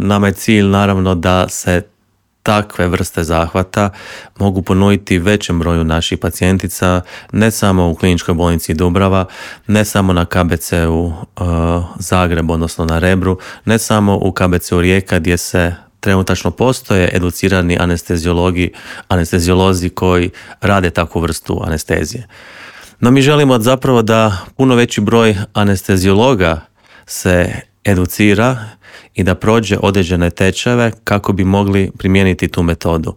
Nama je cilj naravno da se takve vrste zahvata mogu ponuditi većem broju naših pacijentica, ne samo u Kliničkoj bolnici Dubrava, ne samo na KBC-u Zagreb, odnosno na Rebru, ne samo u KBC-u Rijeka gdje se trenutačno postoje educirani anesteziolozi koji rade takvu vrstu anestezije. No mi želimo zapravo da puno veći broj anesteziologa se educira i da prođe određene tečajeve kako bi mogli primijeniti tu metodu.